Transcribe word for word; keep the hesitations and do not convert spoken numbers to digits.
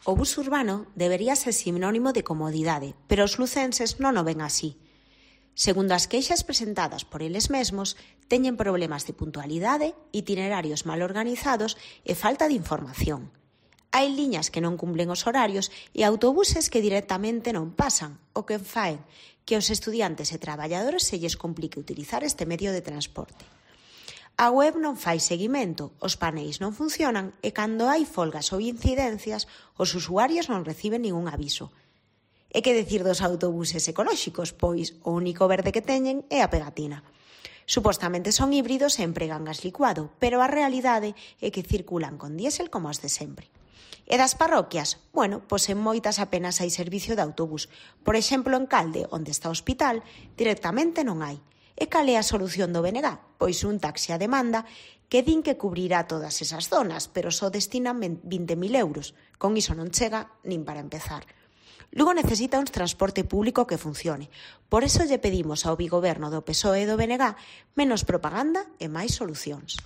O bus urbano debería ser sinónimo de comodidade, pero os lucenses non o ven así. Segundo as queixas presentadas por eles mesmos, teñen problemas de puntualidade, itinerarios mal organizados e falta de información. Hai liñas que non cumplen os horarios e autobuses que directamente non pasan, o que faen que aos estudiantes e traballadores se lles complique utilizar este medio de transporte. A web non fai seguimento, os paneis non funcionan e cando hai folgas ou incidencias, os usuarios non reciben ningún aviso. E que decir dos autobuses ecolóxicos, pois o único verde que teñen é a pegatina. Supostamente son híbridos e empregan gas licuado, pero a realidade é que circulan con diésel como os de sempre. E das parroquias? Bueno, pois en moitas apenas hai servicio de autobús. Por exemplo, en Calde, onde está o hospital, directamente non hai. E cal é a solución do B N G? Pois un taxi a demanda que din que cubrirá todas esas zonas, pero só destinan vinte mil euros. Con iso non chega nin para empezar. Lugo necesita un transporte público que funcione. Por eso lle pedimos ao bigoberno do P S O E e do B N G menos propaganda e máis solucións.